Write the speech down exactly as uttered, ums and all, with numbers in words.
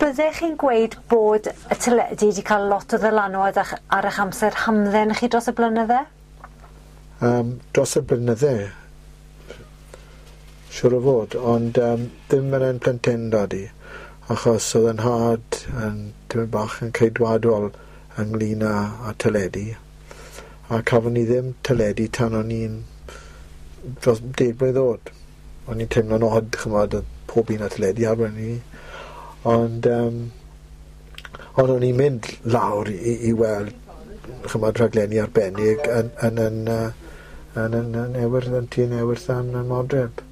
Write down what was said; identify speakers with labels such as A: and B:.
A: Byddech chi'n gweud bod y teledu wedi cael lot o ddylanwad a'ch, ar eich amser hamdden chi dros y blynydde?
B: Um, dros y blynydde, siŵr o fod, ond um, ddim yn yn plentyndod i, achos oedd yn nhad yn tipyn bach yn ceidwadol ynglyn â, â teledu, a cafon ni ddim teledu tan o'n i'n dros deg mlwydd oed. O'n i'n teimlo'n od, ch'mod, o'dd pob un â teledu arwen ni. Ond um, ond o'n i'n mynd lawr i, i weld, ch'mod, rhaglenni arbennig yn yn yn yy yn yn yn Ewyr yn tŷ yn Ewyr yn y Modryb.